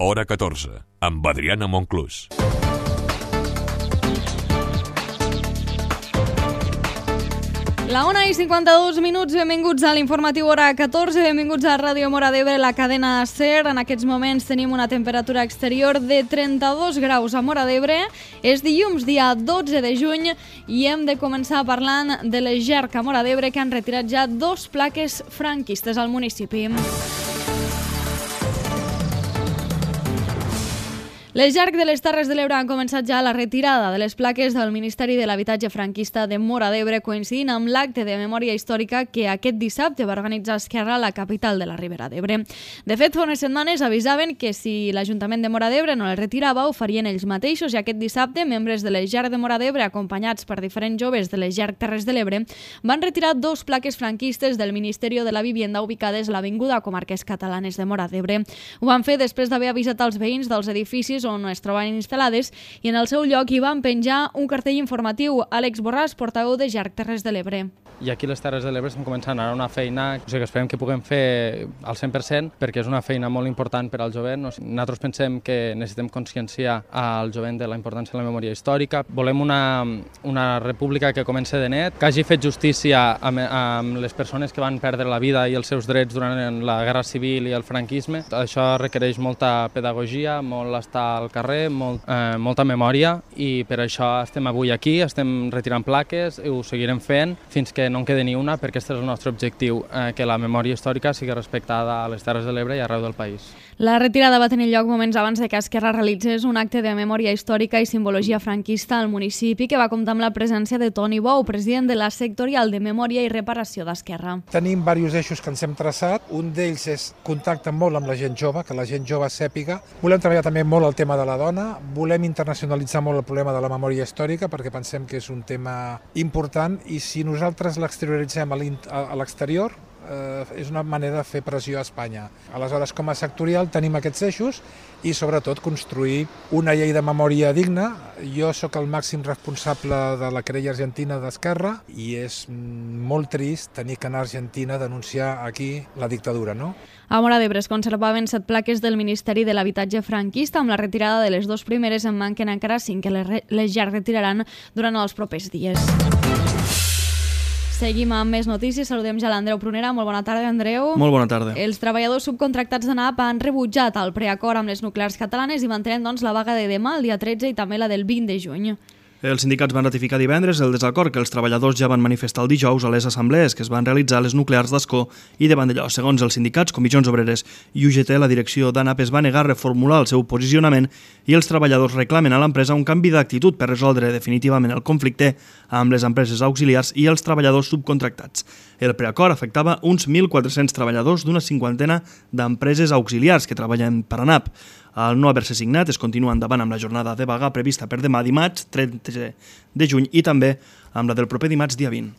Hora 14, amb Adriana Monclús. La 1:52, benvinguts a l'informatiu Hora 14, benvinguts a Ràdio Móra d'Ebre, la cadena SER. En aquests moments tenim una temperatura exterior de 32 graus a Móra d'Ebre. És dilluns, dia 12 de juny, i hem de començar parlant de les GERC a Móra d'Ebre, que han retirat ja 2 plaques franquistes al municipi. Les GERC de les Terres de l'Ebre han començat ja la retirada de les plaques del Ministeri de l'Habitatge franquista de Móra d'Ebre, coincidint amb l'acte de memòria històrica que aquest dissabte va organitzar Esquerra a la capital de la Ribera d'Ebre. De fet, fa unes setmanes avisaven que si l'Ajuntament de Móra d'Ebre no les retirava, ho farien ells mateixos, i aquest dissabte membres de les GERC de Móra d'Ebre, acompanyats per diferents joves de les GERC Terres de l'Ebre, van retirar 2 plaques franquistes del Ministeri de la Vivienda ubicades a l'Avinguda Comarques Catalanes de Móra d'Ebre. Ho van fer després d'haver avisat als veïns dels edificis on es troben instal·lades, i en el seu lloc hi van penjar un cartell informatiu. Àlex Borràs, portaveu de GERC Terres de l'Ebre. I aquí a les Terres de l'Ebre estem començant ara una feina que esperem que puguem fer al 100%, perquè és una feina molt important per al jovent. Nosaltres pensem que necessitem conscienciar al jovent de la importància de la memòria històrica. Volem una república que comenci de net, que hagi fet justícia amb les persones que van perdre la vida i els seus drets durant la Guerra Civil i el franquisme. Això requereix molta pedagogia, molt estar al carrer, molta memòria, i per això estem avui aquí, estem retirant plaques i ho seguirem fent fins que no en quedi ni una, perquè aquest és el nostre objectiu, que la memòria històrica sigui respectada a les Terres de l'Ebre i arreu del país. La retirada va tenir lloc moments abans de que Esquerra realitzés un acte de memòria històrica i simbologia franquista al municipi, que va comptar amb la presència de Toni Bou, president de la sectorial de Memòria i Reparació d'Esquerra. Tenim diversos eixos que ens hem traçat. Un d'ells és contacte molt amb la gent jove, que la gent jove sàpiga. Volem treballar també molt el tema de la dona, volem internacionalitzar molt el problema de la memòria històrica, perquè pensem que és un tema important, i si nosaltres l'exterioritzem a l'exterior, és una manera de fer pressió a Espanya. Aleshores, com a sectorial tenim aquests eixos i sobretot construir una llei de memòria digna. Jo sóc el màxim responsable de la querella argentina d'Esquerra i és molt trist tenir que anar a Argentina a denunciar aquí la dictadura, no? A Móra d'Ebre es conservaven 7 plaques del Ministeri de l'Habitatge franquista. Amb la retirada de les 2 primeres en manquen encara 5 que les ja retiraran durant els propers dies. Seguim amb més notícies. Saludem ja l'Andreu Prunera. Molt bona tarda, Andreu. Molt bona tarda. Els treballadors subcontractats d'ANAP han rebutjat el preacord amb les nuclears catalanes i mantenen la vaga de demà, el dia 13, i també la del 20 de juny. Els sindicats van ratificar divendres el desacord que els treballadors ja van manifestar el dijous a les assemblees que es van realitzar a les nuclears d'Ascó i de Vandellós. Segons els sindicats, Comissions Obreres i UGT, la direcció d'ANAP es va negar a reformular el seu posicionament i els treballadors reclamen a l'empresa un canvi d'actitud per resoldre definitivament el conflicte amb les empreses auxiliars i els treballadors subcontractats. El preacord afectava uns 1.400 treballadors d'una 50ena d'empreses auxiliars que treballen per ANAP. Al no haver-se signat, es continua endavant amb la jornada de vaga prevista per demà dimarts, 13 de juny, i també amb la del proper dimarts, dia 20.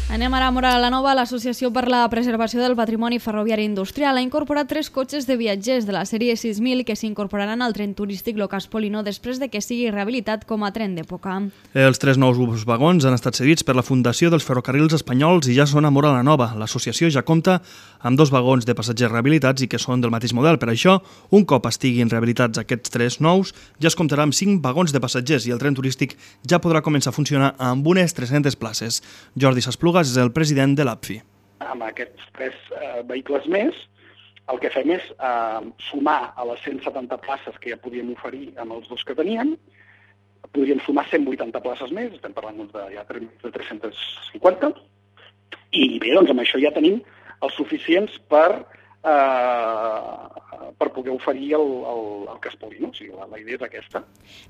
Anem ara a Móra la Nova. L'Associació per la Preservació del Patrimoni Ferroviari Industrial ha incorporat 3 cotxes de viatgers de la sèrie 6000 que s'incorporaran al tren turístic Locas Polino després de que sigui rehabilitat com a tren d'època. Els 3 nous vagons han estat cedits per la Fundació dels Ferrocarrils Espanyols i ja són a Móra la Nova. L'associació ja compta amb 2 vagons de passatgers rehabilitats i que són del mateix model. Per això, un cop estiguin rehabilitats aquests 3 nous, ja es comptarà amb 5 vagons de passatgers i el tren turístic ja podrà començar a funcionar amb unes 300 places. Jordi Saspluga és el president de l'APFI. Amb aquests 3 vehicles més, el que fem és sumar a les 170 places que ja podíem oferir amb els 2 que teníem, podríem sumar 180 places més, estem parlant de 350, i bé, doncs amb això ja tenim els suficients per poder oferir el Cas Polino. O sigui, la idea és aquesta.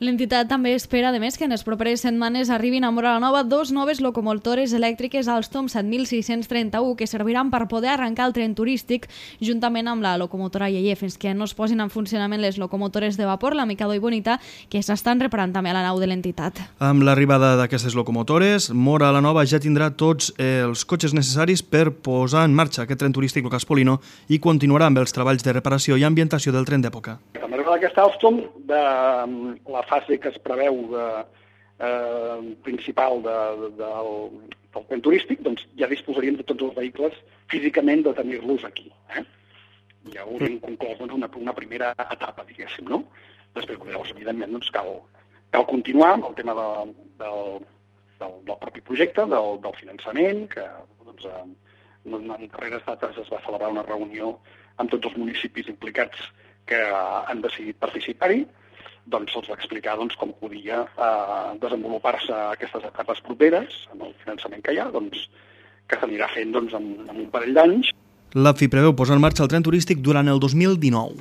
L'entitat també espera, a més, que en les properes setmanes arribin a Móra la Nova 2 noves locomotores elèctriques Alstom 7631 que serviran per poder arrencar el tren turístic juntament amb la locomotora Yeye fins que no es posin en funcionament les locomotores de vapor, la Mikado i Bonita, que s'estan reparant també a la nau de l'entitat. Amb l'arribada d'aquestes locomotores, Móra la Nova ja tindrà tots els cotxes necessaris per posar en marxa aquest tren turístic Locas Polino i continuarà amb els treballs de reparació i ambientació del tren d'època. Amb l'arribada d'aquesta Alstom, de la fase que es preveu principal del tren turístic, doncs ja disposaríem de tots els vehicles físicament de tenir-los aquí. ja hauríem conclòs una primera etapa, diguéssim, no? Després, llavors, evidentment, doncs, cal continuar amb el tema del propi projecte, del finançament, que doncs, en darreres dates es va celebrar una reunió amb tots els municipis implicats que han decidit participar-hi, doncs se'ls va explicar com podia desenvolupar-se aquestes etapes properes amb el finançament que hi ha, que s'anirà fent en un parell d'anys. L'AFI preveu posar en marxa el tren turístic durant el 2019.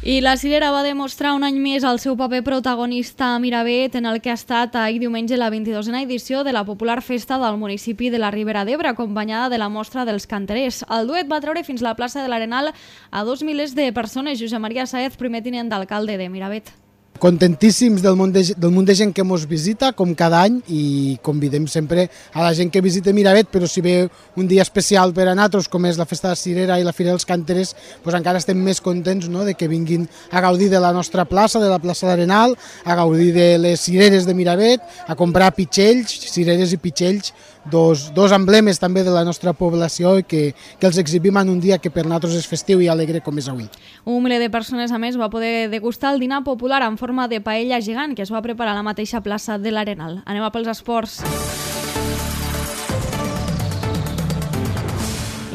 I la Cirera va demostrar un any més el seu paper protagonista a Miravet en el que ha estat ahir diumenge la 22a edició de la popular festa del municipi de la Ribera d'Ebre, acompanyada de la mostra dels canterers. El duet va treure fins la plaça de l'Arenal a 2 milers de persones. Josep Maria Sáez, primer tinent d'alcalde de Miravet. Contentíssims del munt de gent que ens visita, com cada any, i convidem sempre a la gent que visita Miravet, però si ve un dia especial per a nosaltres, com és la festa de Cirera i la Fira dels Canterers, doncs encara estem més contents, no?, de que vinguin a gaudir de la nostra plaça, de la plaça d'Arenal, a gaudir de les cireres de Miravet, a comprar pitxells, cireres i pitxells, dos emblemes també de la nostra població i que els exhibim en un dia que per nosaltres és festiu i alegre com és avui. Un miler de persones, a més, va poder degustar el dinar popular en forma de paella gegant que es va preparar a la mateixa plaça de l'Arenal. Anem a pels esports.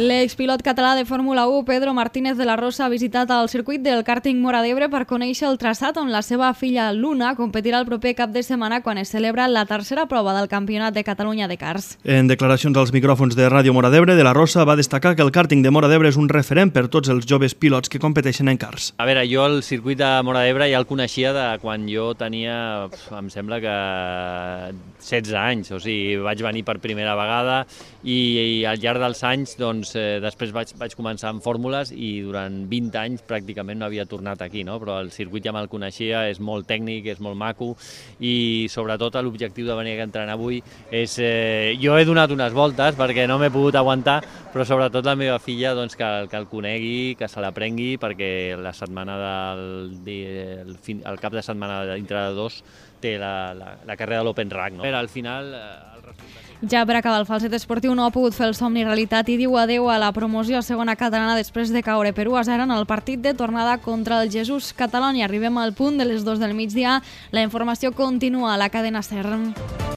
L'expilot català de Fórmula 1, Pedro Martínez de la Rosa, ha visitat el circuit del kàrting Móra d'Ebre per conèixer el traçat on la seva filla Luna competirà el proper cap de setmana quan es celebra la tercera prova del Campionat de Catalunya de karts. En declaracions als micròfons de Ràdio Móra d'Ebre, de la Rosa va destacar que el kàrting de Móra d'Ebre és un referent per tots els joves pilots que competeixen en karts. A veure, jo el circuit de Móra d'Ebre ja el coneixia de quan jo tenia, em sembla que 16 anys, o sigui, vaig venir per primera vegada i al llarg dels anys, doncs, després vaig començar amb fórmules i durant 20 anys pràcticament no havia tornat aquí, no? Però el circuit ja me'l coneixia, és molt tècnic, és molt maco i sobretot l'objectiu de venir a entrenar avui és... Jo he donat unes voltes perquè no m'he pogut aguantar, però sobretot la meva filla doncs, que el conegui, que se l'aprengui, perquè la setmana el cap de setmana dintre de 2 té la carrera de l'Open Rack, no? Al final... Ja per acabar, el falset esportiu no ha pogut fer el somni realitat i diu adeu a la promoció a segona catalana després de caure per 1-0 en el partit de tornada contra el Jesús Catalònia. Arribem al punt de les 2 del migdia. La informació continua a la cadena SER.